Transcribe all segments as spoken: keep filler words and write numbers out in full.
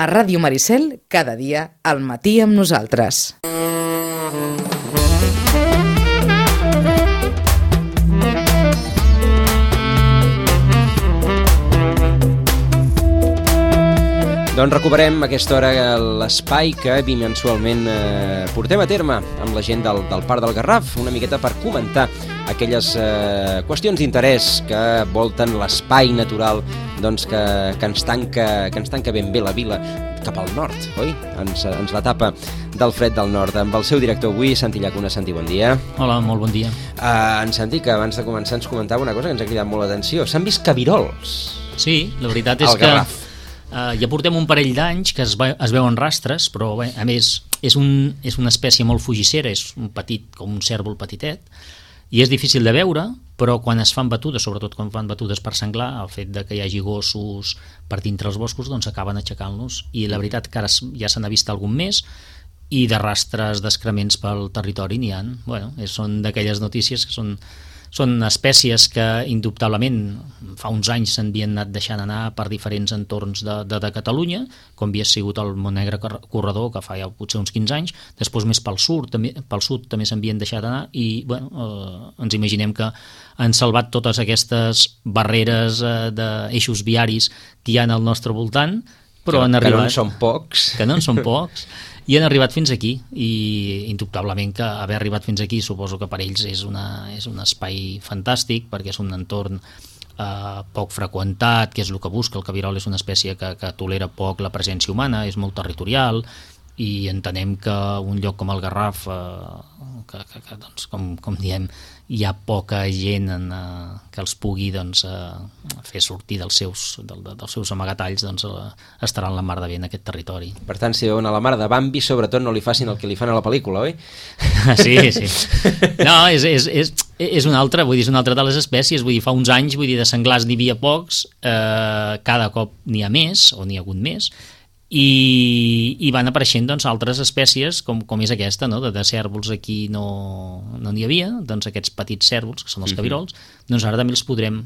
A Ràdio Maricel, cada dia, al matí amb nosaltres. Doncs recuperem a aquesta hora l'espai que bimensualment eh, portem a terme amb la gent del, del Parc del Garraf, una miqueta per comentar aquelles eh, qüestions d'interès que volten l'espai natural doncs, que, que, ens tanca, que ens tanca ben bé la vila cap al nord, oi? Ens, ens la tapa del fred del nord. Amb el seu director avui, Santi Llacuna. Santi, bon dia. Hola, molt bon dia. Uh, en Santi, que abans de començar ens comentava una cosa que ens ha cridat molt l'atenció. S'han vist cabirols. Sí, la veritat és al Garraf. que uh, ja portem un parell d'anys que es, va, es veuen rastres, però bé, a més és, un, és una espècie molt fugissera, és un petit, com un cèrvol petitet, i és difícil de veure, però quan es fan batudes, sobretot quan fan batudes per senglar, el fet de que hi hagi gossos per dintre els boscos, doncs acaben aixecant-los, i la veritat que ara ja se n'ha vist algun més, i de rastres d'excrements pel territori n'hi ha. Bueno, són d'aquelles notícies que són, són espècies que indubtablement fa uns anys s'havien anat deixant anar per diferents entorns de, de, de Catalunya, com havia sigut el Montnegre Corredor, que fa ja potser uns quinze anys, després més pel sud també, pel sud també s'havien deixat anar, i bueno, eh, ens imaginem que han salvat totes aquestes barreres eh, d'eixos viaris que hi ha al nostre voltant, però que, han arribat, que no en són pocs. Que no en són pocs. I han arribat fins aquí, i indubtablement que haver arribat fins aquí suposo que per ells és, una, és un espai fantàstic, perquè és un entorn eh, poc freqüentat, que és el que busca. El cabirol és una espècie que, que tolera poc la presència humana, és molt territorial, i entenem que un lloc com el Garraf, eh, que, que, que doncs, com, com diem, hi ha poca gent en, eh, que els pugui doncs, eh, fer sortir dels seus, del, dels seus amagatalls, doncs, eh, estaran la mar de bé en aquest territori. Per tant, si veuen a la mar de Bambi, sobretot no li facin el que li fan a la pel·lícula, oi? Sí, sí. No, és, és, és, és una altra, vull dir, és una altra de les espècies, vull dir, fa uns anys, vull dir, de senglars n'hi havia pocs, eh, cada cop n'hi ha més, o n'hi ha hagut més, i, i van apareixent doncs, altres espècies com, com és aquesta, no? de, de cèrvols aquí no no n'hi havia, doncs aquests petits cèrvols que són els cabirols, doncs ara també els podrem,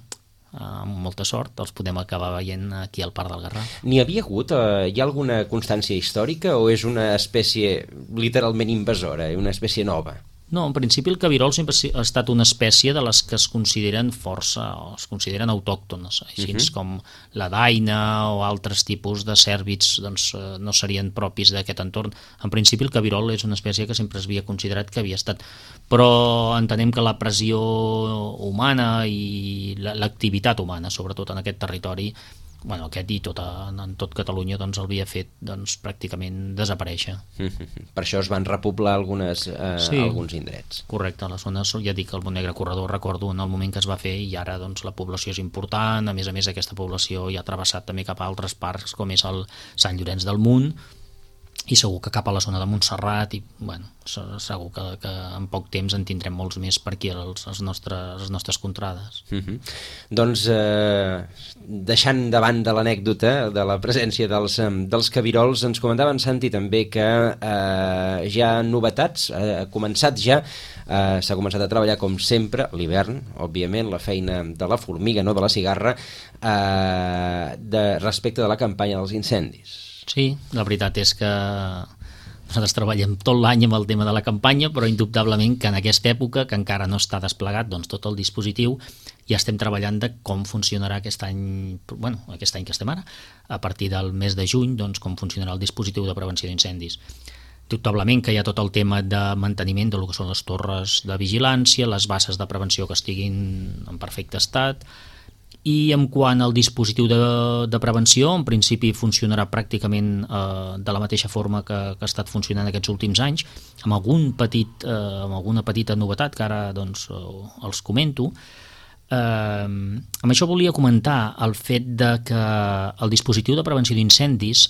amb molta sort, els podem acabar veient aquí al Parc del Garraf. N'hi havia hagut, eh, hi ha alguna constància històrica o és una espècie literalment invasora, una espècie nova? No, en principi el cabirol sempre ha estat una espècie de les que es consideren força, o es consideren autòctones, així uh-huh. com la daina o altres tipus de cèrvids doncs, no serien propis d'aquest entorn. En principi el cabirol és una espècie que sempre es havia considerat que havia estat, però entenem que la pressió humana i l'activitat humana, sobretot en aquest territori, bueno, aquest i tot a, en tot Catalunya doncs, el havia fet doncs, pràcticament desaparèixer. Mm-hmm. Per això es van repoblar algunes, eh, sí, alguns indrets. Correcte, a la zona, ja dic, el Montnegre Corredor recordo en el moment que es va fer, i ara doncs, la població és important, a més a més aquesta població ja ha travessat també cap a altres parcs com és el Sant Llorenç del Munt, i segur que cap a la zona de Montserrat, i bueno, segur que, que en poc temps en tindrem molts més per aquí als, als nostres, les nostres contrades. Mm-hmm. Doncs eh, deixant davant de l'anècdota de la presència dels, dels cabirols, ens comentava en Santi també que eh, ja novetats, eh, ha començat ja, eh, s'ha començat a treballar com sempre, l'hivern, òbviament, la feina de la formiga, no de la cigarra, eh, de, respecte de la campanya dels incendis. Sí, la veritat és que nosaltres treballem tot l'any amb el tema de la campanya, però indubtablement que en aquesta època, que encara no està desplegat doncs, tot el dispositiu, ja estem treballant de com funcionarà aquest any, bueno, aquest any que estem ara, a partir del mes de juny, doncs, com funcionarà el dispositiu de prevenció d'incendis. Indubtablement que hi ha tot el tema de manteniment de lo que són les torres de vigilància, les bases de prevenció que estiguin en perfecte estat. I en quant al dispositiu de, de prevenció, en principi funcionarà pràcticament eh, de la mateixa forma que, que ha estat funcionant aquests últims anys, amb, algun petit, eh, amb alguna petita novetat que ara doncs, eh, els comento. Eh, amb això volia comentar el fet de que el dispositiu de prevenció d'incendis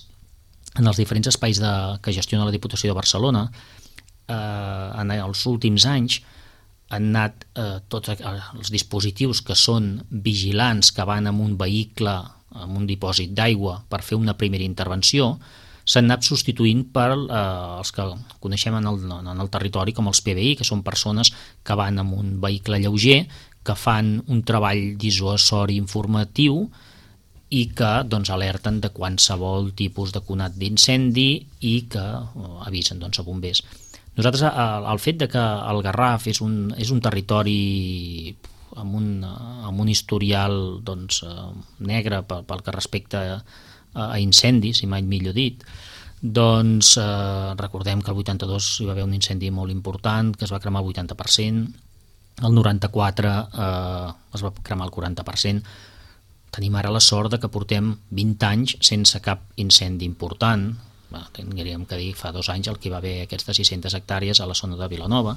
en els diferents espais de, que gestiona la Diputació de Barcelona eh, en els últims anys han anat eh, tots els dispositius que són vigilants, que van amb un vehicle, amb un dipòsit d'aigua per fer una primera intervenció, s'han anat substituint per eh, els que coneixem en el, en el territori com els P B I, que són persones que van amb un vehicle lleuger, que fan un treball dissuasori informatiu i que doncs, alerten de qualsevol tipus de conat d'incendi i que uh, avisen doncs, a bombers. Nosaltres, el, el fet de que el Garraf és un, és un territori amb un, amb un historial doncs, uh, negre pel, pel que respecta a, a incendis, si mai millor dit, doncs eh, recordem que el vuitanta-dos hi va haver un incendi molt important, que es va cremar el vuitanta per cent, el noranta-quatre eh, es va cremar el quaranta per cent. Tenim ara la sort de que portem vint anys sense cap incendi important. Bé, tindríem que dir fa dos anys el que hi va haver aquests de sis-centes hectàrees a la zona de Vilanova,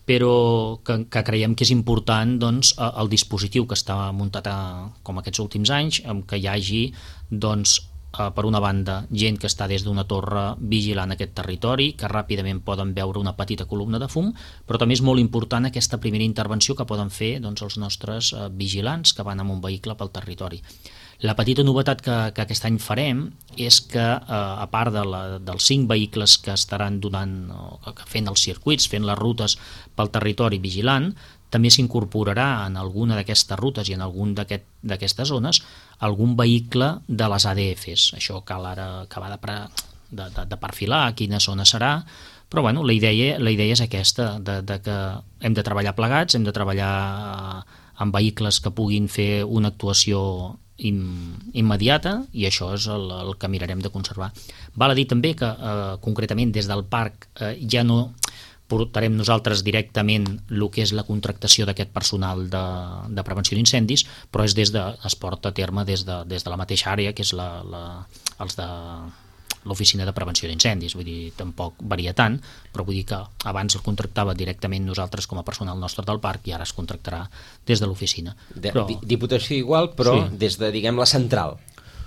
però que, que creiem que és important doncs, el dispositiu que està muntat a, com aquests últims anys, que hi hagi doncs, per una banda, gent que està des d'una torre vigilant aquest territori, que ràpidament poden veure una petita columna de fum, però també és molt important aquesta primera intervenció que poden fer doncs, els nostres eh, vigilants que van amb un vehicle pel territori. La petita novetat que, que aquest any farem és que, eh, a part de la, dels cinc vehicles que estaran donant, o, que fent els circuits, fent les rutes pel territori vigilant, també s'incorporarà en alguna d'aquestes rutes i en algun d'aquestes aquest, zones algun vehicle de les A D Fs. Això cal ara acabar de, de, de, de perfilar a quina zona serà, però bueno, la idea, la idea és aquesta, de, de que hem de treballar plegats, hem de treballar amb vehicles que puguin fer una actuació im, immediata, i això és el, el que mirarem de conservar. Val a dir també que eh, concretament des del parc eh, ja no portarem nosaltres directament el que és la contractació d'aquest personal de, de prevenció d'incendis, però és des de, es porta a terme des de, des de la mateixa àrea, que és la, la, els de l'oficina de prevenció d'incendis. Vull dir, tampoc varia tant, però vull dir que abans el contractava directament nosaltres com a personal nostre del parc i ara es contractarà des de l'oficina. De, però, Diputació igual, però sí. Des de, diguem, la central.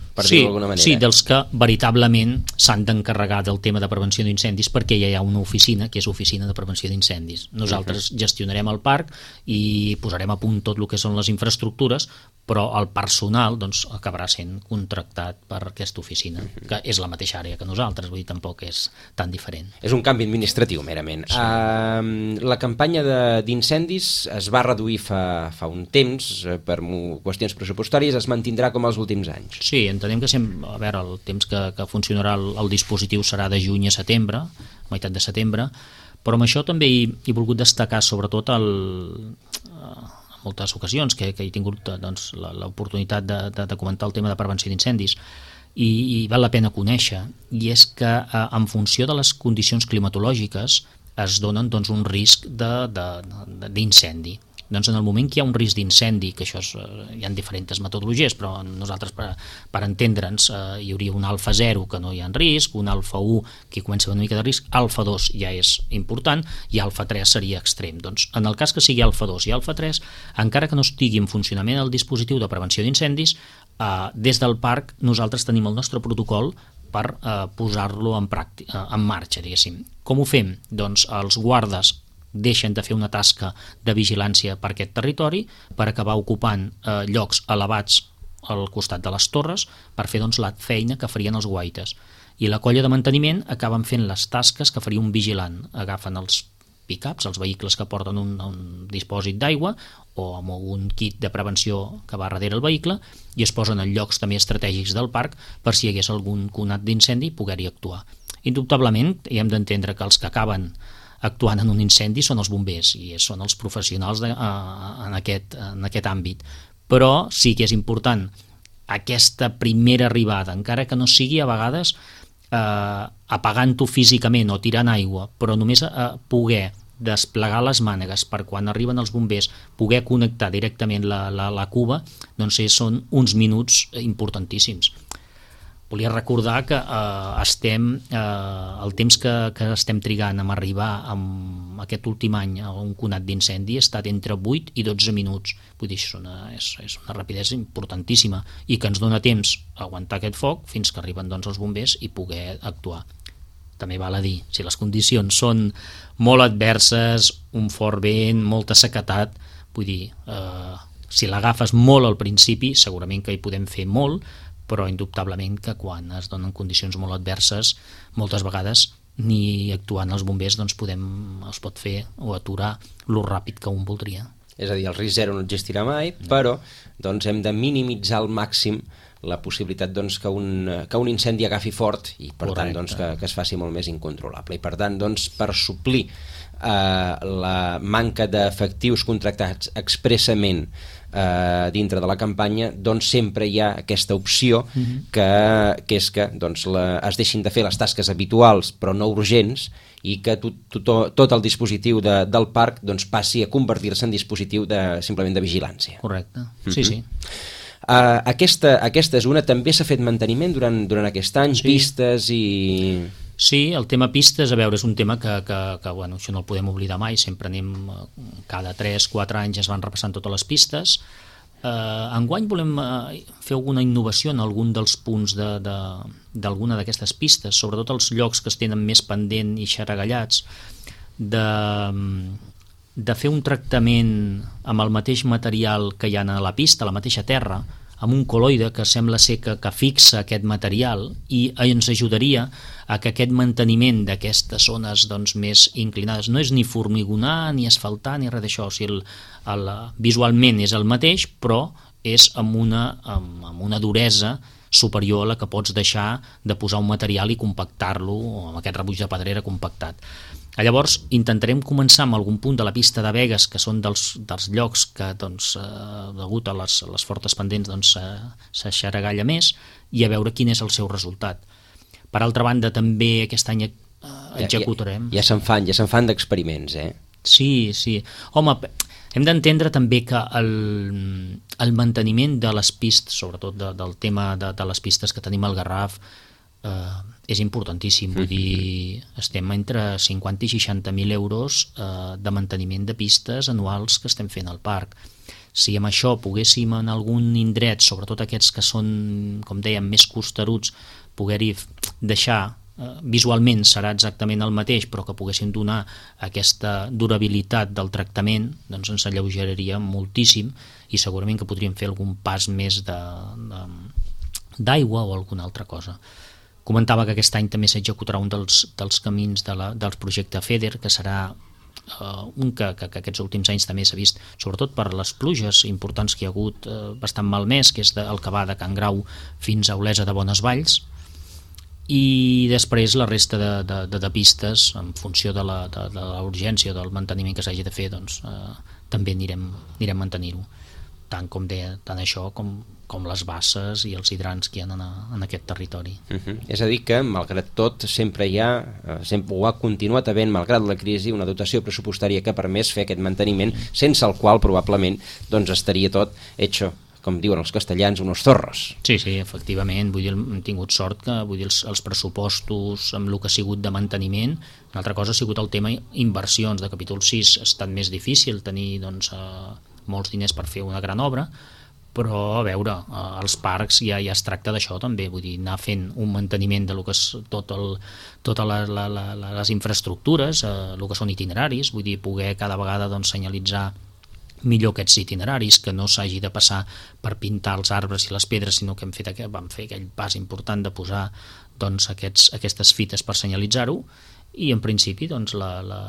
Per sí, dir-ho d'alguna manera. Sí, dels que veritablement s'han d'encarregar del tema de prevenció d'incendis, perquè ja hi ha una oficina que és Oficina de Prevenció d'Incendis. Nosaltres uh -huh. gestionarem el parc i posarem a punt tot el que són les infraestructures, però el personal doncs, acabarà sent contractat per aquesta oficina, uh -huh. que és la mateixa àrea que nosaltres, vull dir, tampoc és tan diferent. És un canvi administratiu, merament. Sí. Uh, la campanya d'incendis es va reduir fa, fa un temps per qüestions pressupostàries, es mantindrà com els últims anys. Sí, entenem que sempre, a veure, el temps que, que funcionarà el, el dispositiu serà de juny a setembre, meitat de setembre, però amb això també he, he volgut destacar sobretot el, en moltes ocasions que, que he tingut doncs, l'oportunitat de, de, de comentar el tema de prevenció d'incendis i, i val la pena conèixer, i és que eh, en funció de les condicions climatològiques es donen doncs, un risc d'incendi. Doncs en el moment que hi ha un risc d'incendi, que això és, hi ha diferents metodologies, però nosaltres per, per entendre'ns eh, hi hauria un alfa zero que no hi ha risc, un alfa u que comença una mica de risc, alfa dos ja és important i alfa tres seria extrem. Doncs en el cas que sigui alfa dos i alfa tres, encara que no estigui en funcionament el dispositiu de prevenció d'incendis, eh, des del parc nosaltres tenim el nostre protocol per eh, posar-lo en, pràctica, en marxa, diguéssim. Com ho fem? Doncs els guardes deixen de fer una tasca de vigilància per aquest territori per acabar ocupant eh, llocs elevats al costat de les torres per fer doncs, la feina que farien els guaites. I la colla de manteniment acaben fent les tasques que faria un vigilant. Agafen els pick-ups, els vehicles que porten un, un dipòsit d'aigua o amb un kit de prevenció que va darrere el vehicle i es posen en llocs també estratègics del parc per si hi hagués algun conat d'incendi poder-hi actuar. Indubtablement, hi hem d'entendre que els que acaben actuant en un incendi són els bombers i són els professionals de, uh, en, aquest, en aquest àmbit, però sí que és important aquesta primera arribada, encara que no sigui a vegades eh, apagant-ho físicament o tirant aigua, però només eh, poder desplegar les mànegues per quan arriben els bombers, poder connectar directament la, la, la cuba, doncs són uns minuts importantíssims. Volia recordar que eh, estem, eh, el temps que, que estem trigant a arribar amb aquest últim any a un conat d'incendi ha estat entre vuit i dotze minuts. Vull dir, és una, és, és una rapidesa importantíssima i que ens dona temps a aguantar aquest foc fins que arriben doncs, els bombers i poder actuar. També val a dir, si les condicions són molt adverses, un fort vent, molta sequedat, vull dir, eh, si l'agafes molt al principi, segurament que hi podem fer molt, però indubtablement que quan es donen condicions molt adverses, moltes vegades ni actuant els bombers doncs podem, es pot fer o aturar lo ràpid que un voldria. És a dir, el risc zero no existirà mai, però doncs, hem de minimitzar al màxim la possibilitat doncs, que, un, que un incendi agafi fort i per Correcte. tant doncs, que, que es faci molt més incontrolable. I per tant, doncs, per suplir eh, la manca d'efectius contractats expressament eh, dintre de la campanya, doncs sempre hi ha aquesta opció uh-huh. que, que és que doncs, la, es deixin de fer les tasques habituals però no urgents i que tot, tot, tot el dispositiu de, del parc doncs, passi a convertir-se en dispositiu de, simplement de vigilància. Correcte, uh-huh. sí, sí. Uh, aquesta, aquesta és una, també s'ha fet manteniment durant, durant aquest any, Sí. pistes i... Sí, el tema pistes, a veure, és un tema que, que, que bueno, això no el podem oblidar mai, sempre anem, eh, cada tres quatre anys es van repassant totes les pistes. Eh, enguany volem eh, fer alguna innovació en algun dels punts de, de, d'alguna d'aquestes pistes, sobretot els llocs que es tenen més pendent i xaragallats, de, de fer un tractament amb el mateix material que hi ha a la pista, a la mateixa terra, amb un coloide que sembla ser que, que fixa aquest material i ens ajudaria a que aquest manteniment d'aquestes zones doncs, més inclinades no és ni formigonar, ni asfaltar, ni res d'això, o sigui, el, el, visualment és el mateix, però és amb una, amb, amb una duresa superior a la que pots deixar de posar un material i compactar-lo, o amb aquest rebuig de pedrera compactat. Llavors intentarem començar amb algun punt de la pista de Begues, que són dels, dels llocs que, doncs, eh, degut a les, a les fortes pendents, doncs, eh, s'aixaragalla més, i a veure quin és el seu resultat. Per altra banda, també aquest any eh, executarem... Ja, ja, ja se'n fan, ja se'n fan d'experiments, eh? Sí, sí. Home, hem d'entendre també que el, el manteniment de les pistes, sobretot de, del tema de, de les pistes que tenim al Garraf, eh, és importantíssim. Vull dir, estem entre cinquanta i seixanta mil euros eh, de manteniment de pistes anuals que estem fent al parc. Si amb això poguéssim en algun indret, sobretot aquests que són, com dèiem, més costeruts, poder-hi deixar, eh, visualment serà exactament el mateix, però que poguéssim donar aquesta durabilitat del tractament, doncs ens alleugeraria moltíssim i segurament que podríem fer algun pas més de, de, d'aigua o alguna altra cosa. Comentava que aquest any també s'executarà un dels, dels camins de la, del projecte FEDER, que serà uh, un que, que, que aquests últims anys també s'ha vist, sobretot per les pluges importants que hi ha hagut, uh, bastant malmès, que és de, el que va de Can Grau fins a Olesa de Bonesvalls, i després la resta de, de, de, de pistes, en funció de la, de, de la urgència o del manteniment que s'hagi de fer, doncs, uh, també anirem, anirem mantenir-ho. Tant com deia, tant això com, com les basses i els hidrants que hi ha en, en aquest territori. Uh-huh. És a dir que, malgrat tot, sempre hi ha, sempre ho ha continuat havent, malgrat la crisi, una dotació pressupostària que ha permès fer aquest manteniment, sense el qual probablement doncs, estaria tot hecho, com diuen els castellans, unos zorros. Sí, sí, efectivament. Vull dir, hem tingut sort que vull dir, els, els pressupostos amb el que ha sigut de manteniment. Una altra cosa ha sigut el tema inversions de capítol sis. Ha estat més difícil tenir doncs, eh, molts diners per fer una gran obra, però a veure, eh, els parcs ja, ja es tracta d'això també, vull dir, anar fent un manteniment de lo que és tot el, totes la, la, la, les infraestructures, eh, el que són itineraris, vull dir, poder cada vegada doncs, senyalitzar millor aquests itineraris, que no s'hagi de passar per pintar els arbres i les pedres, sinó que hem fet, vam fer aquell pas important de posar doncs, aquests, aquestes fites per senyalitzar-ho, i en principi doncs, la, la,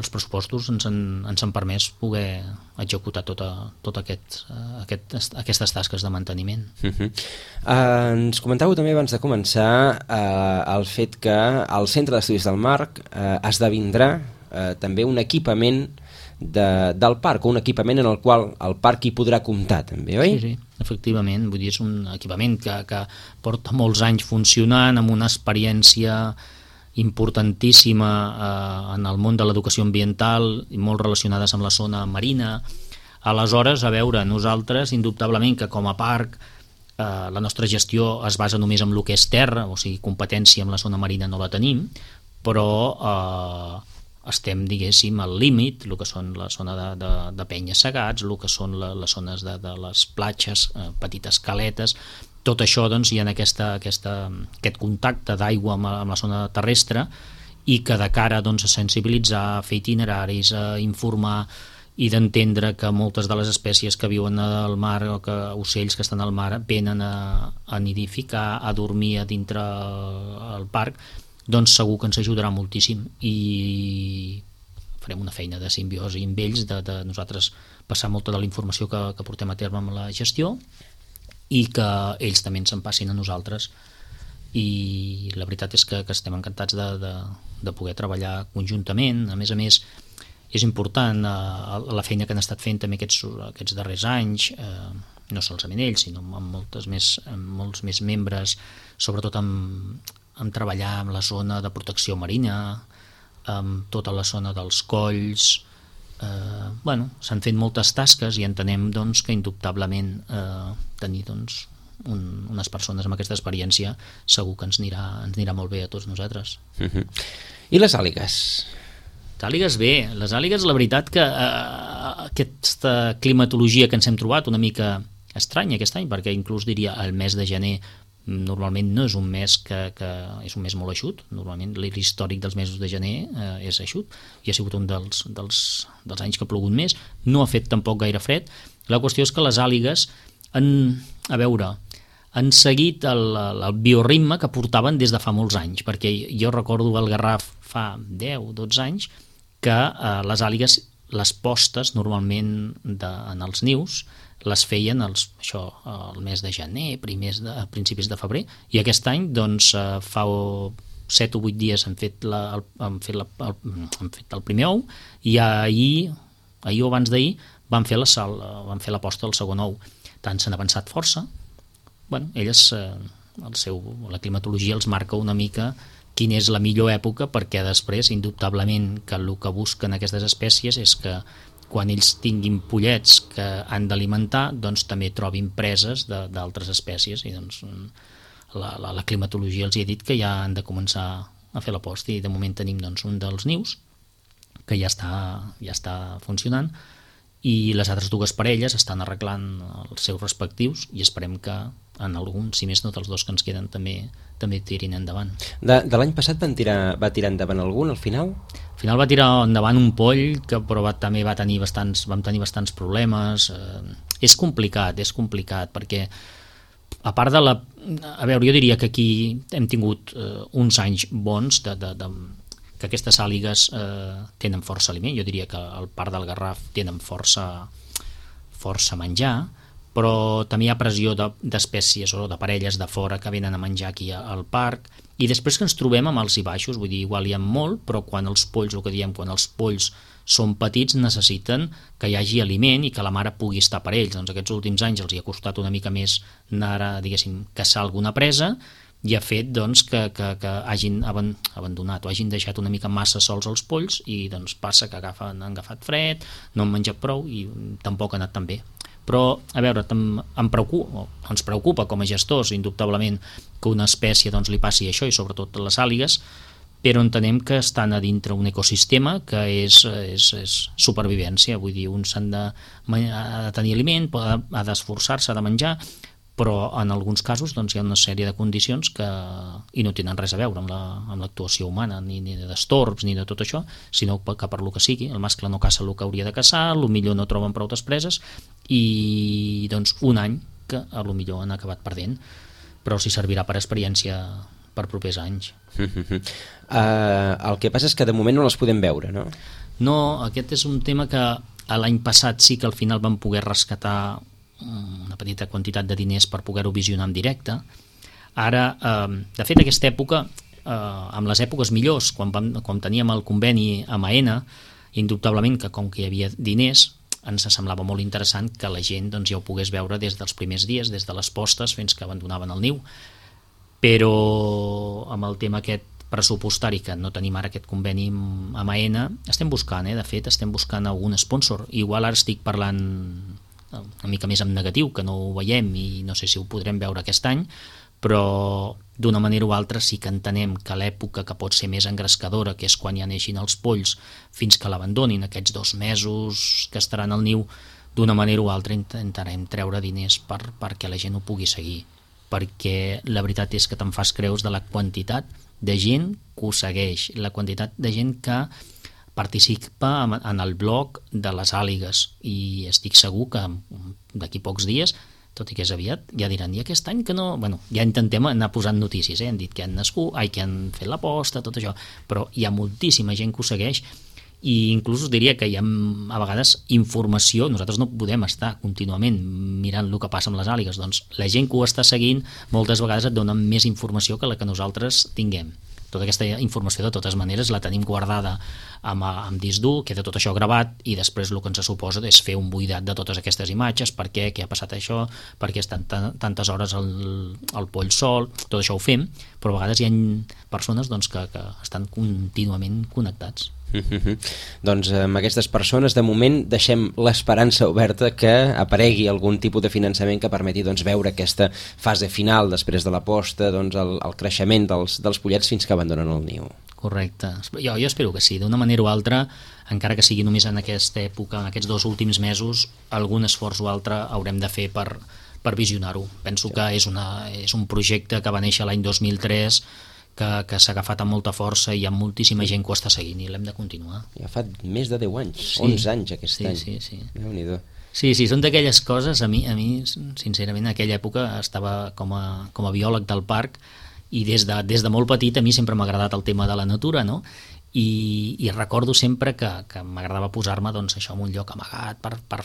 els pressupostos ens han, ens han permès poder executar tota, tot aquest, aquest, aquestes tasques de manteniment. Uh-huh. Uh, ens comentàveu també abans de començar uh, el fet que el Centre d'Estudis del Mar uh, esdevindrà uh, també un equipament de, del parc, un equipament en el qual el parc hi podrà comptar també, oi? Sí, sí, efectivament, vull dir, és un equipament que, que porta molts anys funcionant, amb una experiència importantíssima eh, en el món de l'educació ambiental i molt relacionades amb la zona marina. Aleshores, a veure, nosaltres indubtablement que com a parc eh, la nostra gestió es basa només en el que és terra, o sigui, competència amb la zona marina no la tenim, però eh, estem, diguéssim, al límit, el que són la zona de, de, de penyes segats, el que són la, les zones de, de les platges, eh, petites caletes. Tot això doncs, hi ha aquesta, aquesta, aquest contacte d'aigua amb, amb la zona terrestre i que de cara doncs, a sensibilitzar, a fer itineraris, a informar i d'entendre que moltes de les espècies que viuen al mar o que ocells que estan al mar venen a, a nidificar, a dormir a dintre el parc, doncs segur que ens ajudarà moltíssim i farem una feina de simbiosi amb ells, de, de nosaltres passar molta de la informació que, que portem a terme amb la gestió i que ells també ens en passin a nosaltres, i la veritat és que, que estem encantats de, de, de poder treballar conjuntament. A més a més, és important eh, la feina que han estat fent també aquests, aquests darrers anys, eh, no solament ells, sinó amb, moltes més, amb molts més membres, sobretot amb, amb treballar amb la zona de protecció marina, amb tota la zona dels colls. Eh, bueno, s'han fet moltes tasques i entenem doncs, que indubtablement eh, tenir doncs, un, unes persones amb aquesta experiència segur que ens anirà, ens anirà molt bé a tots nosaltres. Uh-huh. I les àligues? Les àligues bé, les àligues la veritat que eh, aquesta climatologia que ens hem trobat una mica estranya aquest any, perquè inclús diria el mes de gener normalment no és un mes que, que és un mes molt eixut, normalment l'històric dels mesos de gener eh, és eixut, i ha sigut un dels, dels, dels anys que ha plogut més, no ha fet tampoc gaire fred. La qüestió és que les àligues han, a veure, han seguit el, el bioritme que portaven des de fa molts anys, perquè jo recordo al Garraf fa deu o dotze anys que eh, les àligues, les postes normalment de, en els nius, les feien els, això, el mes de gener, primers de, a principis de febrer, i aquest any doncs, fa set o vuit dies han fet, la, el, han fet, la, el, han fet el primer ou, i ahir, ahir o abans d'ahir van fer la sal, van fer la posta del segon ou. Tant s'han avançat força. Bueno, elles, el seu, la climatologia els marca una mica quina és la millor època, perquè després, indubtablement, que el que busquen aquestes espècies és que quan ells tinguin pollets que han d'alimentar, doncs també trobin preses d'altres espècies, i doncs la, la, la climatologia els hi ha dit que ja han de començar a fer la posta, i de moment tenim doncs, un dels nius que ja està, ja està funcionant, i les altres dues parelles estan arreglant els seus respectius, i esperem que en algun, si més no dels dos que ens queden, també també tirin endavant. De, de l'any passat van tirar, va tirar endavant algun al final? Al final va tirar endavant un poll que però va, també va tenir bastants, vam tenir bastants problemes. Eh, és complicat, és complicat, perquè a part de la... A veure, jo diria que aquí hem tingut eh, uns anys bons de, de, de, que aquestes àligues eh, tenen força aliment. Jo diria que al Parc del Garraf tenen força, força menjar, però també hi ha pressió d'espècies o de parelles de fora que venen a menjar aquí al parc, i després que ens trobem amb alts i baixos, vull dir, igual hi ha molt, però quan els polls, el que diem, quan els polls són petits, necessiten que hi hagi aliment i que la mare pugui estar per ells. Doncs aquests últims anys els hi ha costat una mica més anar a, diguéssim, caçar alguna presa, i ha fet doncs, que, que, que hagin abandonat o hagin deixat una mica massa sols els polls, i doncs passa que agafen, han agafat fred, no han menjat prou i tampoc ha anat tan bé. Però, a veure, em preocupa, ens preocupa com a gestors, indubtablement, que una espècie doncs, li passi això, i sobretot les àligues, però entenem que estan a dintre un ecosistema que és, és, és supervivència, vull dir, un s'han de, ha de tenir aliment, ha d'esforçar-se, ha de menjar, però en alguns casos doncs, hi ha una sèrie de condicions que i no tenen res a veure amb l'actuació la, humana, ni, ni d'estorbs, ni de tot això, sinó que per lo que sigui, el mascle no caça el que hauria de caçar, el millor no troben prou preses, i doncs un any que a lo millor han acabat perdent, però si servirà per experiència per propers anys. uh, el que passa és que de moment no les podem veure, no? No, aquest és un tema que l'any passat sí que al final vam poder rescatar una petita quantitat de diners per poder-ho visionar en directe. Ara, eh, de fet, aquesta època, eh, amb les èpoques millors, quan, vam, quan teníem el conveni amb AENA, indubtablement que com que hi havia diners, ens semblava molt interessant que la gent doncs, ja ho pogués veure des dels primers dies, des de les postes fins que abandonaven el niu. Però amb el tema aquest pressupostari, que no tenim ara aquest conveni amb AENA, estem buscant, eh? De fet, estem buscant algun sponsor. Igual ara estic parlant una mica més en negatiu, que no ho veiem i no sé si ho podrem veure aquest any, però d'una manera o altra sí que entenem que l'època que pot ser més engrescadora, que és quan ja neixin els polls fins que l'abandonin, aquests dos mesos que estaran al niu, d'una manera o altra intentarem treure diners per, perquè la gent ho pugui seguir, perquè la veritat és que te'n fas creus de la quantitat de gent que ho segueix, la quantitat de gent que participa en el blog de les àligues, i estic segur que d'aquí pocs dies, tot i que és aviat, ja diran, i aquest any que no... Bueno, ja intentem anar posant notícies, eh? Han dit que han nascut, ai, que han fet la posta, tot això, però hi ha moltíssima gent que ho segueix, i inclús us diria que hi ha a vegades informació, nosaltres no podem estar contínuament mirant el que passa amb les àligues, doncs la gent que ho està seguint moltes vegades et dona més informació que la que nosaltres tinguem. Tota aquesta informació de totes maneres la tenim guardada amb, amb disc dur, queda tot això gravat i després el que ens suposa és fer un buidat de totes aquestes imatges, per què, què ha passat això, per què estan tantes hores al, al poll sol, tot això ho fem, però a vegades hi ha persones doncs, que, que estan contínuament connectats. Mm-hmm. Doncs amb aquestes persones de moment deixem l'esperança oberta que aparegui algun tipus de finançament que permeti doncs, veure aquesta fase final després de la posta, doncs, el, el creixement dels, dels pollets fins que abandonen el niu. Correcte, jo, jo espero que sí, d'una manera o altra, encara que sigui només en aquesta època, en aquests dos últims mesos, algun esforç o altre haurem de fer per, per visionar-ho. Penso sí. que és, una, és un projecte que va néixer l'any dos mil tres, que, que s'ha agafat amb molta força i hi ha moltíssima gent que ho està seguint i l'hem de continuar. Ja fa més de deu anys, sí, onze anys aquest sí, any. Sí, sí. Déu-n'hi-do. Sí, sí, són d'aquelles coses, a mi, a mi sincerament, en aquella època estava com a, com a biòleg del parc i des de, des de molt petit a mi sempre m'ha agradat el tema de la natura, no? I, i recordo sempre que, que m'agradava posar-me doncs, això en un lloc amagat, per, per,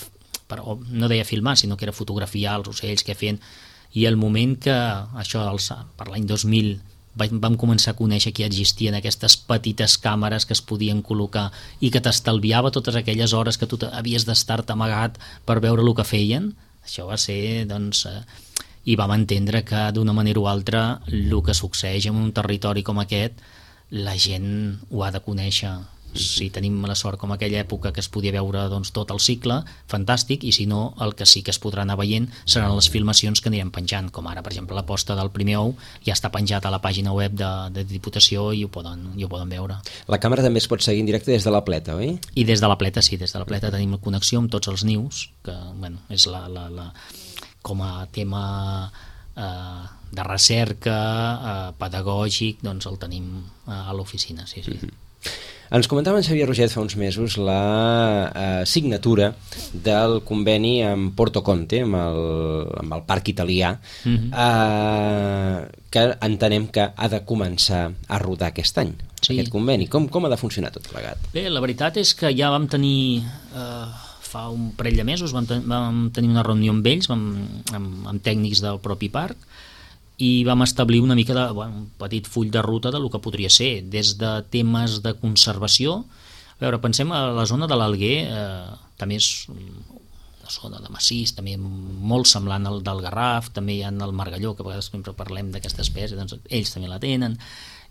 per, no deia filmar, sinó que era fotografiar els ocells que feien, i el moment que això, els, per l'any dos mil, vam començar a conèixer que existien aquestes petites càmeres que es podien col·locar i que t'estalviava totes aquelles hores que tu havies d'estar-te amagat per veure el que feien, això va ser, doncs, eh, i vam entendre que d'una manera o altra el que succeeix en un territori com aquest, la gent ho ha de conèixer. Si tenim la sort com aquella època que es podia veure doncs, tot el cicle, fantàstic, i si no, el que sí que es podrà anar veient seran les filmacions que anirem penjant, com ara, per exemple, la posta del primer ou ja està penjat a la pàgina web de, de Diputació i ho poden, i ho poden veure. La càmera també es pot seguir en directe des de la Pleta, oi? I des de la Pleta, sí, des de la Pleta tenim connexió amb tots els nius, que bueno, és la, la, la, com a tema eh, de recerca eh, pedagògic, doncs el tenim eh, a l'oficina, sí, sí. Mm-hmm. Ens comentava en Xavier Roget fa uns mesos la eh, signatura del conveni amb Porto Conte, amb el, amb el parc italià, mm-hmm. eh, que entenem que ha de començar a rodar aquest any, sí. Aquest conveni. Com, com ha de funcionar tot plegat? Bé, la veritat és que ja vam tenir, eh, fa un parell de mesos, vam, ten vam tenir una reunió amb ells, vam, amb, amb tècnics del propi parc, i vam establir una mica de, bueno, un petit full de ruta de lo que podria ser, des de temes de conservació. A veure, pensem a la zona de l'Alguer, eh, també és una zona de massís, també molt semblant al del Garraf, també hi ha el margalló, que a vegades sempre parlem d'aquesta espècie, doncs ells també la tenen,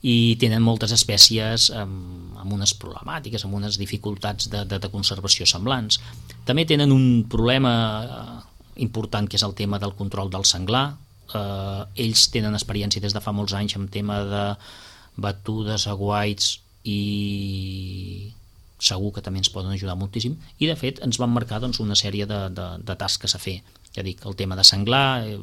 i tenen moltes espècies amb, amb unes problemàtiques, amb unes dificultats de, de, de conservació semblants. També tenen un problema eh, important, que és el tema del control del senglar. Uh, ells tenen experiència des de fa molts anys en tema de batudes, aguaits, i segur que també ens poden ajudar moltíssim, i de fet ens van marcar doncs, una sèrie de, de, de tasques a fer. Ja dic, el tema de senglar, eh,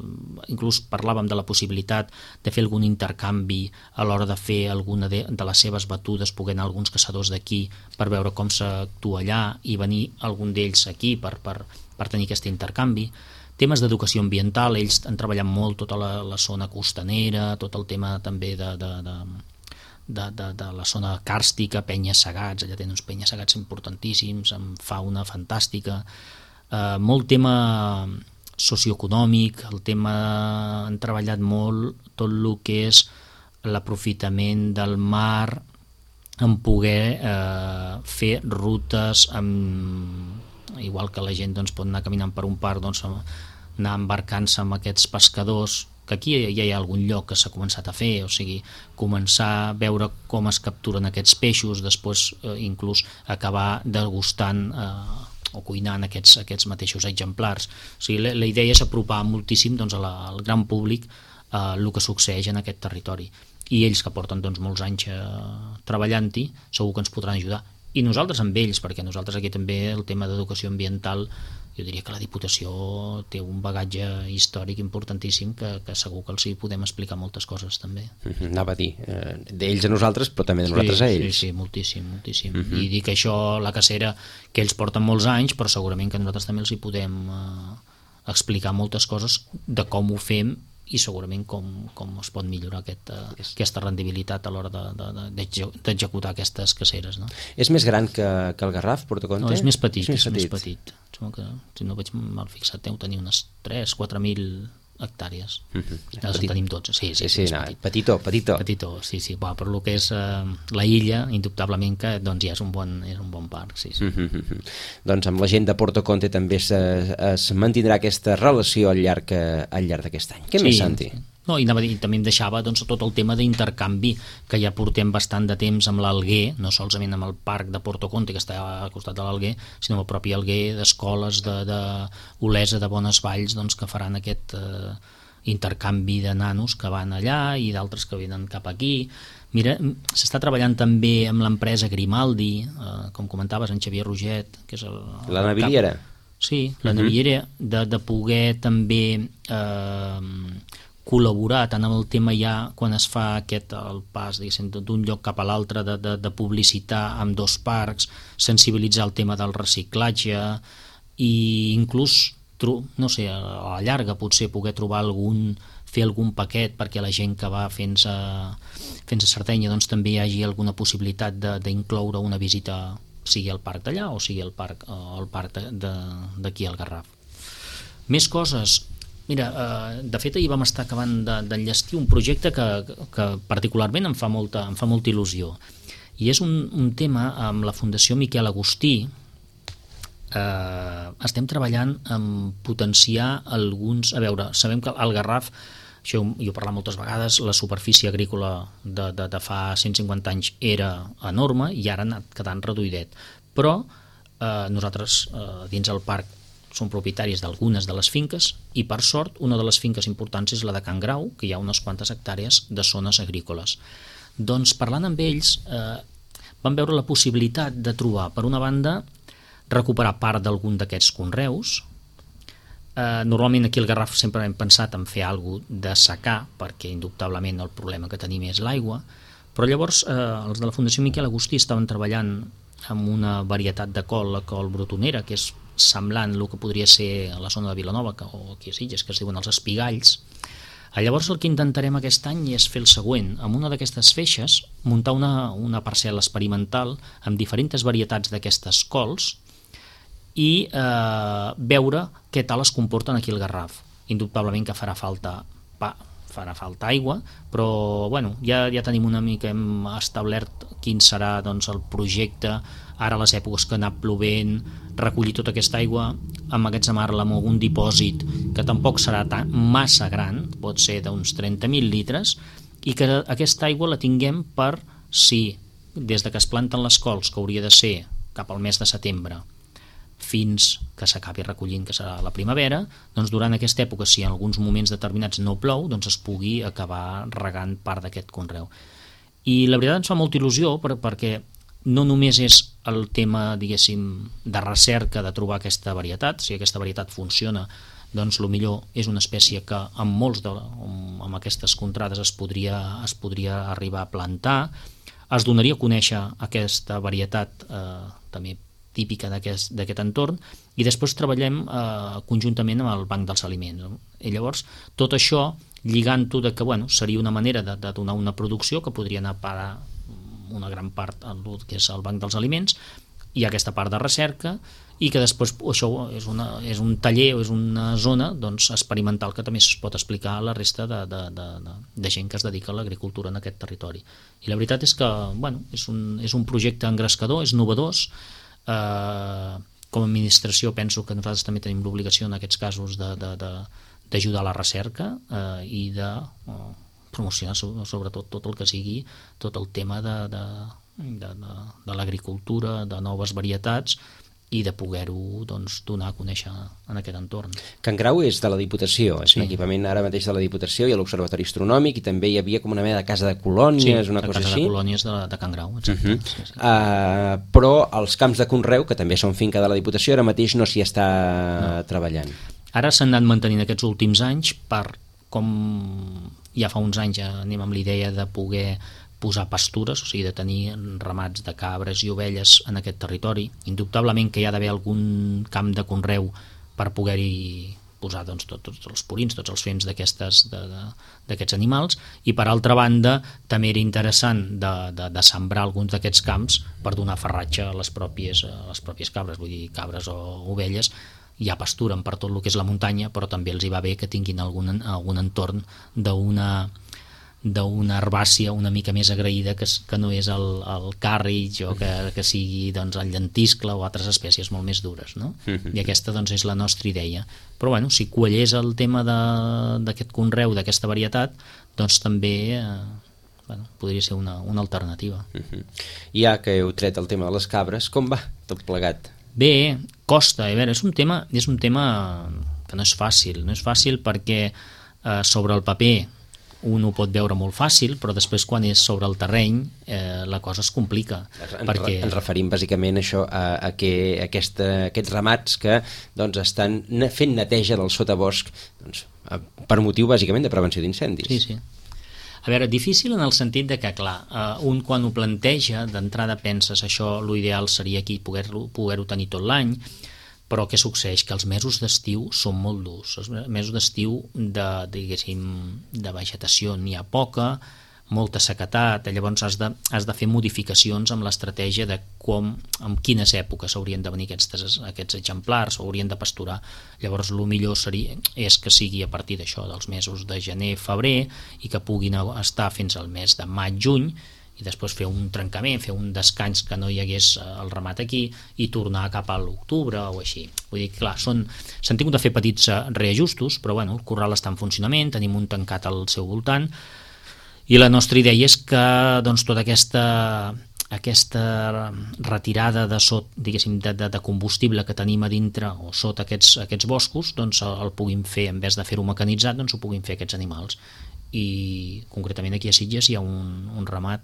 inclús parlàvem de la possibilitat de fer algun intercanvi a l'hora de fer alguna de, de les seves batudes, poder anar alguns caçadors d'aquí per veure com s'actua allà i venir algun d'ells aquí per, per, per tenir aquest intercanvi. Temes d'educació ambiental, ells han treballat molt tota la, la zona costanera, tot el tema també de, de, de, de, de, de la zona càrstica, penyes segats, allà tenen uns penyes segats importantíssims, amb fauna fantàstica, eh, molt tema socioeconòmic, el tema, han treballat molt tot el que és l'aprofitament del mar, en poder eh, fer rutes amb, igual que la gent doncs, pot anar caminant per un parc, doncs, anar embarcant-se amb aquests pescadors, que aquí ja hi ha algun lloc que s'ha començat a fer, o sigui, començar a veure com es capturen aquests peixos, després eh, inclús acabar degustant eh, o cuinant aquests, aquests mateixos exemplars. O sigui, la, la idea és apropar moltíssim doncs, a la, al gran públic eh, el que succeeix en aquest territori. I ells, que porten doncs, molts anys eh, treballant-hi, segur que ens podran ajudar. I nosaltres amb ells, perquè nosaltres aquí també el tema d'educació ambiental, jo diria que la Diputació té un bagatge històric importantíssim que, que segur que els hi podem explicar moltes coses també. Uh-huh, anava a dir, eh, d'ells a nosaltres, però també de nosaltres sí, a ells. Sí, sí, moltíssim, moltíssim. Uh-huh. I dic això, la cacera, que ells porten molts anys, però segurament que nosaltres també els hi podem eh, explicar moltes coses de com ho fem i segurament com, com es pot millorar aquest, uh, aquesta rendibilitat a l'hora d'executar aquestes caceres. No? És més gran que, que el Garraf, Portoconte? No, és més petit, és, és més petit. Sembla que, si no vaig mal fixat, deu tenir unes tres quatre mil hectàrees. Mm-hmm. Els en tenim tots. Sí, sí, sí, sí, no, petit. petitó, petitó. Petitó, sí, sí. Bueno, per lo que és uh, la illa, indubtablement que doncs, ja és un bon, és un bon parc. Sí, sí. Mm-hmm. Doncs amb la gent de Portoconte també es, es mantindrà aquesta relació al llarg, al llarg d'aquest any. Què sí. més, Santi? No, i, i també em deixava doncs, tot el tema d'intercanvi que ja portem bastant de temps amb l'Alguer, no solament amb el parc de Portoconte que està al costat de l'Alguer, sinó amb el propi Alguer, d'escoles de, de Olesa, de Bones Valls, doncs, que faran aquest eh, intercanvi de nanos que van allà i d'altres que venen cap aquí. Mira, s'està treballant també amb l'empresa Grimaldi, eh, com comentaves, en Xavier Roget, que és el, el la naviliera. Cap... Sí, la uh-huh. naviliera, de, de poder també eh, col·laborar tant amb el tema ja quan es fa aquest el pas d'un lloc cap a l'altre de, de, de publicitar amb dos parcs, sensibilitzar el tema del reciclatge i inclús, no sé, a la llarga potser poder trobar algun, fer algun paquet perquè la gent que va fins a, fins a Sardenya doncs també hi hagi alguna possibilitat d'incloure una visita sigui al parc d'allà o sigui al parc, al parc d'aquí al Garraf. Més coses. Mira, eh, de fet ahir vam estar acabant d'enllestir un projecte que, que particularment em fa molta, em fa molta il·lusió i és un, un tema amb la Fundació Miquel Agustí. Eh, estem treballant en potenciar alguns, a veure, sabem que al Garraf, això jo he parlat moltes vegades, la superfície agrícola de, de, de fa cent cinquanta anys era enorme i ara ha anat quedant reduïdet, però eh, nosaltres eh, dins el parc són propietaris d'algunes de les finques i per sort una de les finques importants és la de Can Grau, que hi ha unes quantes hectàrees de zones agrícoles. Doncs parlant amb ells eh, vam veure la possibilitat de trobar, per una banda, recuperar part d'algun d'aquests conreus. Eh, normalment aquí al Garraf sempre hem pensat en fer alguna cosa de secar, perquè indubtablement el problema que tenim és l'aigua, però llavors eh, els de la Fundació Miquel Agustí estaven treballant amb una varietat de col, la col brotonera, que és semblant el que podria ser a la zona de Vilanova que, o aquí a Sitges, que es diuen els espigalls. Llavors el que intentarem aquest any és fer el següent, amb una d'aquestes feixes muntar una, una parcel·la experimental amb diferents varietats d'aquestes cols i eh, veure què tal es comporten aquí al Garraf. Indubtablement que farà falta pa, farà falta aigua, però bueno, ja, ja tenim una mica, hem establert quin serà doncs, el projecte, ara les èpoques que ha anat plovent, recollir tota aquesta aigua, emmagatzemar-la en algun dipòsit que tampoc serà tan, massa gran, pot ser d'uns trenta mil litres, i que aquesta aigua la tinguem per si, des de que es planten les cols, que hauria de ser cap al mes de setembre, fins que s'acabi recollint, que serà la primavera, doncs durant aquesta època, si en alguns moments determinats no plou, doncs es pugui acabar regant part d'aquest conreu. I la veritat ens fa molta il·lusió per, perquè no només és el tema, diguéssim, de recerca de trobar aquesta varietat, si aquesta varietat funciona, doncs el millor és una espècie que amb molts de, amb aquestes contrades es podria, es podria arribar a plantar, es donaria a conèixer aquesta varietat eh, també típica d'aquest entorn, i després treballem eh, conjuntament amb el Banc dels Aliments. No? I llavors, tot això, lligant-ho de que bueno, seria una manera de, de donar una producció que podria anar a parar una gran part al que és el Banc dels Aliments, i aquesta part de recerca, i que després això és, una, és un taller o és una zona doncs, experimental que també es pot explicar a la resta de, de, de, de gent que es dedica a l'agricultura en aquest territori. I la veritat és que bueno, és, un, és un projecte engrescador, és novedós. Eh, com a administració penso que nosaltres també tenim l'obligació en aquests casos d'ajudar a la recerca eh, i de eh, promocionar sobretot tot el que sigui tot el tema de, de, de, de, de l'agricultura, de noves varietats i de poder-ho doncs, donar a conèixer en aquest entorn. Can Grau és de la Diputació, és sí. un equipament ara mateix de la Diputació, hi ha l'Observatori Astronòmic i també hi havia com una mena de casa de colònies, sí, una cosa així. Sí, la casa de colònies de, de Can Grau, exacte. Uh -huh. sí, sí. uh, però els camps de conreu, que també són finca de la Diputació, ara mateix no s'hi està no. treballant. Ara s'han anat mantenint aquests últims anys per, com ja fa uns anys ja anem amb l'idea de poder posar pastures, o sigui, de tenir ramats de cabres i ovelles en aquest territori. Indubtablement que hi ha d'haver algun camp de conreu per poder-hi posar doncs, tot, tots els purins, tots els fems d'aquests de, de, d'aquests animals, i per altra banda també era interessant de, de, de sembrar alguns d'aquests camps per donar farratge a les pròpies, a les pròpies cabres, vull dir cabres o ovelles. Ja pasturen per tot el que és la muntanya, però també els hi va bé que tinguin algun, algun entorn d'una d'una herbàcia una mica més agraïda que, que no és el, el carritx o que, que sigui doncs, el llentiscle o altres espècies molt més dures, no? I aquesta doncs, és la nostra idea. Però bueno, si quallés el tema d'aquest conreu, d'aquesta varietat, doncs també eh, bueno, podria ser una, una alternativa. Uh-huh. Ja que heu tret el tema de les cabres, com va tot plegat? Bé, costa. A veure, és un tema, és un tema que no és fàcil. No és fàcil perquè eh, sobre el paper un ho pot veure molt fàcil, però després quan és sobre el terreny eh, la cosa es complica. En, perquè... Ens referim bàsicament a això, a, a que aquesta, aquests ramats que doncs, estan fent neteja del sotabosc doncs, per motiu bàsicament de prevenció d'incendis. Sí, sí. A veure, difícil en el sentit de que, clar, eh, un quan ho planteja, d'entrada penses això, l'ideal seria aquí poder-ho poder-ho tenir tot l'any, però què succeeix? Que els mesos d'estiu són molt durs. Els mesos d'estiu de, diguéssim, de vegetació n'hi ha poca, molta sequetat, llavors has de, has de fer modificacions amb l'estratègia de com, en quines èpoques haurien de venir aquests, aquests exemplars, o haurien de pasturar. Llavors el millor seria, és que sigui a partir d'això, dels mesos de gener, febrer, i que puguin estar fins al mes de maig, juny, i després fer un trencament, fer un descans que no hi hagués el ramat aquí i tornar cap a l'octubre o així. Vull dir, clar, són, s'han tingut de fer petits reajustos, però bueno, el corral està en funcionament, tenim un tancat al seu voltant, i la nostra idea és que doncs, tota aquesta, aquesta retirada de sot, diguéssim, de, de, de combustible que tenim a dintre o sota aquests, aquests boscos, doncs el, el puguin fer, en vez de fer-ho mecanitzat, doncs ho puguin fer aquests animals. I concretament aquí a Sitges hi ha un, un ramat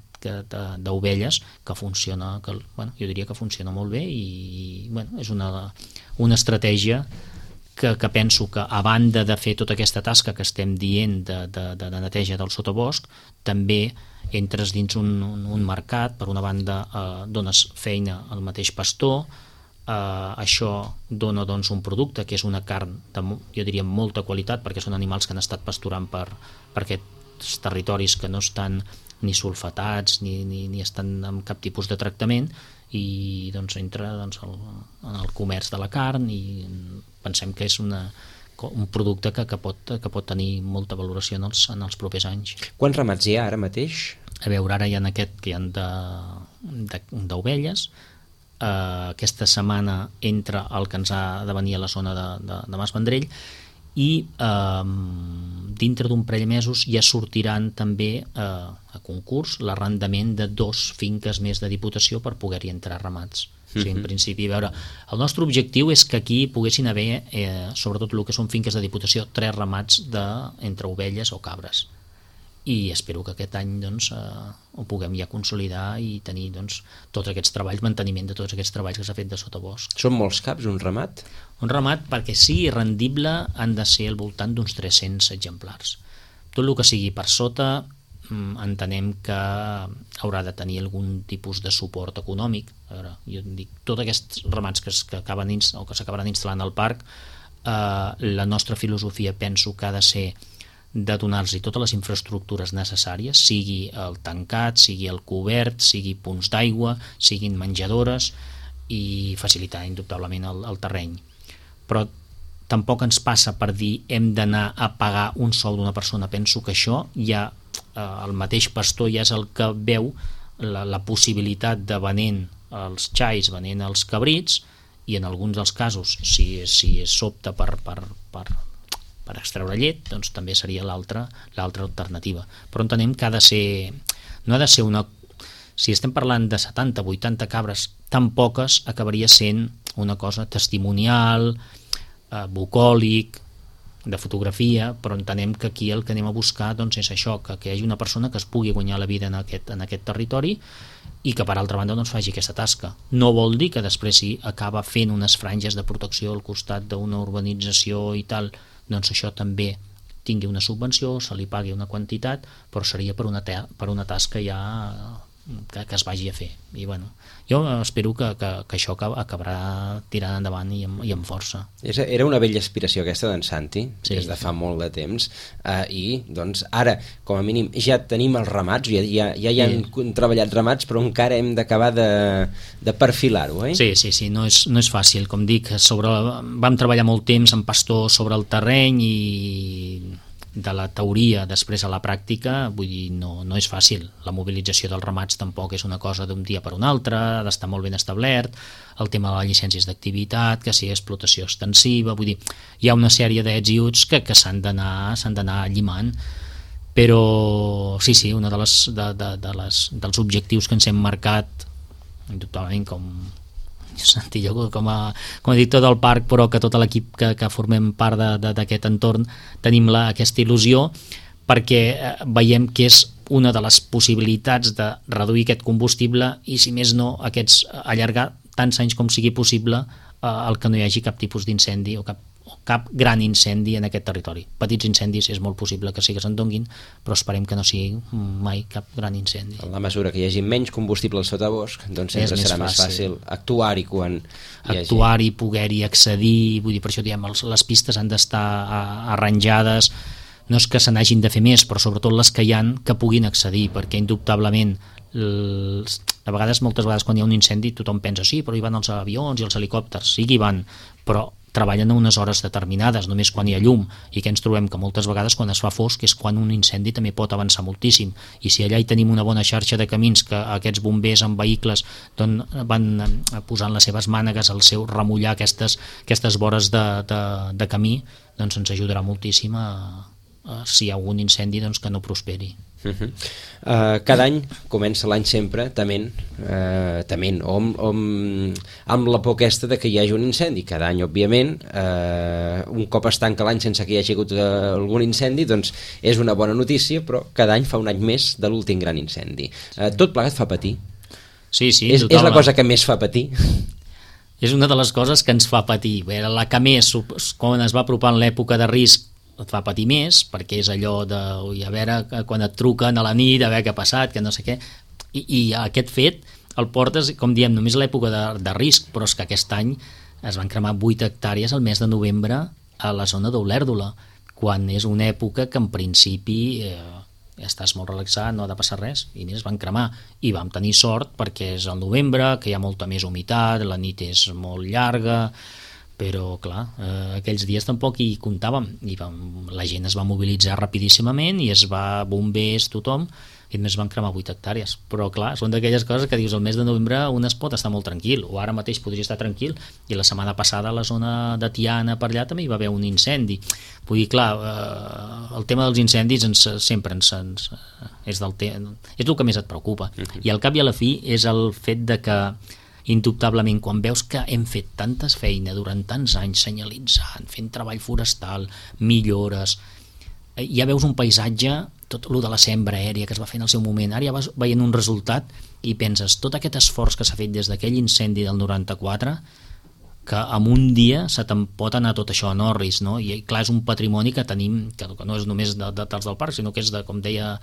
d'ovelles que funciona, que, bueno, jo diria que funciona molt bé i bueno, és una, una estratègia que, que penso que a banda de fer tota aquesta tasca que estem dient de, de, de neteja del sotabosc, també entres dins un, un, un mercat, per una banda eh, dones feina al mateix pastor, Uh, això dona doncs, un producte que és una carn de, jo diria, molta qualitat, perquè són animals que han estat pasturant per, per aquests territoris que no estan ni sulfatats ni, ni, ni estan amb cap tipus de tractament, i doncs entra doncs, el, en el comerç de la carn, i pensem que és una, un producte que, que, pot, que pot tenir molta valoració en els, en els propers anys. Quants ramats hi ha ara mateix? A veure, ara hi ha aquest que hi ha d'ovelles. Uh, aquesta setmana entra el que ens ha de venir a la zona de, de, de Mas Vendrell, i uh, dintre d'un parell de mesos ja sortiran també uh, a concurs l'arrendament de dos finques més de Diputació per poder-hi entrar ramats. O sigui, en principi, a veure, el nostre objectiu és que aquí poguessin haver, eh, sobretot el que són finques de Diputació, tres ramats de, entre ovelles o cabres. I espero que aquest any doncs, eh, ho puguem ja consolidar i tenir doncs, tots aquests treballs, manteniment de tots aquests treballs que s'ha fet de sotabosc. Són molts caps, un ramat? Un ramat, perquè sigui rendible, han de ser al voltant d'uns tres-cents exemplars. Tot el que sigui per sota, entenem que haurà de tenir algun tipus de suport econòmic. A veure, jo dic, tots aquests ramats que, que acaben o que s'acabaran instal·lant al parc, eh, la nostra filosofia penso que ha de ser de donar-los totes les infraestructures necessàries, sigui el tancat, sigui el cobert, sigui punts d'aigua, siguin menjadores, i facilitar indubtablement el, el terreny. Però tampoc ens passa per dir hem d'anar a pagar un sou d'una persona. Penso que això ja eh, el mateix pastor ja és el que veu la, la possibilitat de venent els xais, venent els cabrits, i en alguns dels casos, si, si s'opta per, per, per per extreure llet, doncs també seria l'altra l'altra alternativa. Però entenem que ha de ser, no ha de ser una... Si estem parlant de setanta, vuitanta cabres, tan poques acabaria sent una cosa testimonial, eh, bucòlic, de fotografia, però entenem que aquí el que anem a buscar doncs, és això, que, que hi hagi una persona que es pugui guanyar la vida en aquest, en aquest territori i que per altra banda doncs, faci aquesta tasca. No vol dir que després si acaba fent unes franges de protecció al costat d'una urbanització i tal, doncs això també tingui una subvenció, se li pagui una quantitat, però seria per una, per una tasca ja que, que es vagi a fer. I bueno, jo espero que, que, que això acabarà tirant endavant i amb, i amb força. Era una vella aspiració aquesta d'en Santi, sí, des de fa molt de temps, eh, i doncs ara, com a mínim, ja tenim els ramats, ja, ja, ja hi han sí. treballat ramats, però encara hem d'acabar de, de perfilar-ho, eh? Sí, sí, sí, no és, no és fàcil, com dic, sobre, vam treballar molt temps amb pastors sobre el terreny i de la teoria després a la pràctica, vull dir, no, no és fàcil. La mobilització dels ramats tampoc és una cosa d'un dia per un altre, ha d'estar molt ben establert, el tema de les llicències d'activitat, que sigui explotació extensiva, vull dir, hi ha una sèrie d'ets i uts que, que s'han d'anar s'han d'anar llimant, però sí, sí, una de les, de, de, de les, dels objectius que ens hem marcat, indubtablement com Santi, jo com a, com a director del parc, però que tot l'equip que, que formem part d'aquest entorn tenim la, aquesta il·lusió, perquè eh, veiem que és una de les possibilitats de reduir aquest combustible i, si més no, aquests, allargar tants anys com sigui possible eh, el que no hi hagi cap tipus d'incendi o cap cap gran incendi en aquest territori. Petits incendis és molt possible que sí que se'n donguin, però esperem que no sigui mai cap gran incendi. En la mesura que hi hagi menys combustible al sotabosc, doncs sempre és serà més més fàcil actuar-hi quan hi hagi... Actuar-hi, poder-hi accedir, vull dir, per això diem, els, les pistes han d'estar arranjades, no és que se n'hagin de fer més, però sobretot les que hi han que puguin accedir, perquè indubtablement els, a vegades, moltes vegades quan hi ha un incendi tothom pensa, sí, però hi van els avions i els helicòpters, sí que hi van, però treballen a unes hores determinades, només quan hi ha llum, i que ens trobem que moltes vegades quan es fa fosc és quan un incendi també pot avançar moltíssim, i si allà hi tenim una bona xarxa de camins que aquests bombers amb vehicles doncs, van posant les seves mànegues al seu remullar aquestes, aquestes vores de, de, de camí, doncs ens ajudarà moltíssim a, a si hi ha algun incendi doncs, que no prosperi. Uh -huh. uh, cada any comença l'any sempre tement, uh, tement o amb, o amb, amb la por aquesta de que hi hagi un incendi. Cada any, òbviament, uh, un cop es tanca l'any sense que hi hagi hagut uh, algun incendi, doncs és una bona notícia, però cada any fa un any més de l'últim gran incendi. Uh, tot plegat fa patir. Sí, sí, és, és la cosa que més fa patir. És una de les coses que ens fa patir. Bé, la que més, quan es va apropant l'època de risc, et fa patir més, perquè és allò de ui, a veure, quan et truquen a la nit, a veure què ha passat, que no sé què, i, i aquest fet el portes, com diem, només a l'època de, de risc, però és que aquest any es van cremar vuit hectàrees al mes de novembre a la zona d'Olèrdola, quan és una època que en principi eh, estàs molt relaxat, no ha de passar res, i mira, es van cremar, i vam tenir sort perquè és el novembre, que hi ha molta més humitat, la nit és molt llarga, però clar, eh, aquells dies tampoc hi comptàvem, i vam, la gent es va mobilitzar rapidíssimament i es va, bombers, tothom, i només van cremar vuit hectàrees, però clar, són d'aquelles coses que dius, el mes de novembre un es pot estar molt tranquil, o ara mateix podria estar tranquil, i la setmana passada a la zona de Tiana per allà també hi va haver un incendi. Vull dir, clar, eh, el tema dels incendis ens, sempre ens, ens, és, del te és el que més et preocupa, uh-huh. i al cap i a la fi és el fet de que indubtablement, quan veus que hem fet tantes feines durant tants anys senyalitzant, fent treball forestal, millores, ja veus un paisatge, tot el de la sembra aèria que es va fer en el seu moment, ara ja vas veient un resultat i penses, tot aquest esforç que s'ha fet des d'aquell incendi del noranta-quatre, que en un dia se te'n pot anar tot això en orris, no? I clar, és un patrimoni que tenim, que no és només de, de tals del parc, sinó que és de, com deia,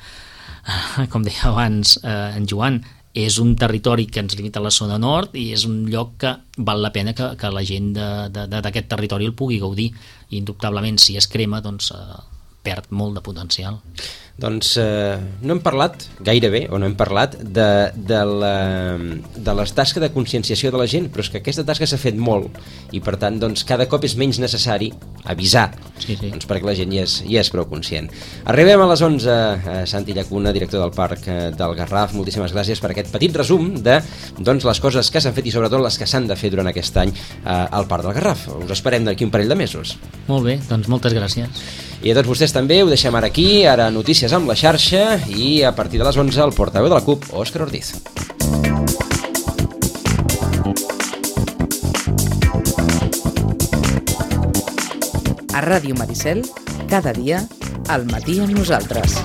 com deia abans eh, en Joan, és un territori que ens limita a la zona nord i és un lloc que val la pena que, que la gent d'aquest territori el pugui gaudir, i indubtablement si es crema doncs eh, perd molt de potencial. Doncs eh, no hem parlat gairebé, o no hem parlat de, de, la, de les tasques de conscienciació de la gent, però és que aquesta tasca s'ha fet molt i per tant doncs, cada cop és menys necessari avisar, sí, sí. Doncs, perquè la gent ja és, ja és prou conscient. Arribem a les onze, eh, Santi Llacuna, director del Parc eh, del Garraf, moltíssimes gràcies per aquest petit resum de doncs, les coses que s'han fet i sobretot les que s'han de fer durant aquest any eh, al Parc del Garraf. Us esperem d'aquí un parell de mesos. Molt bé, doncs moltes gràcies. I a tots vostès també, ho deixem ara aquí, ara notícies amb la xarxa i a partir de les onze el portaveu de la CUP, Òscar Ortiz. A Ràdio Maricel, cada dia, al matí amb nosaltres.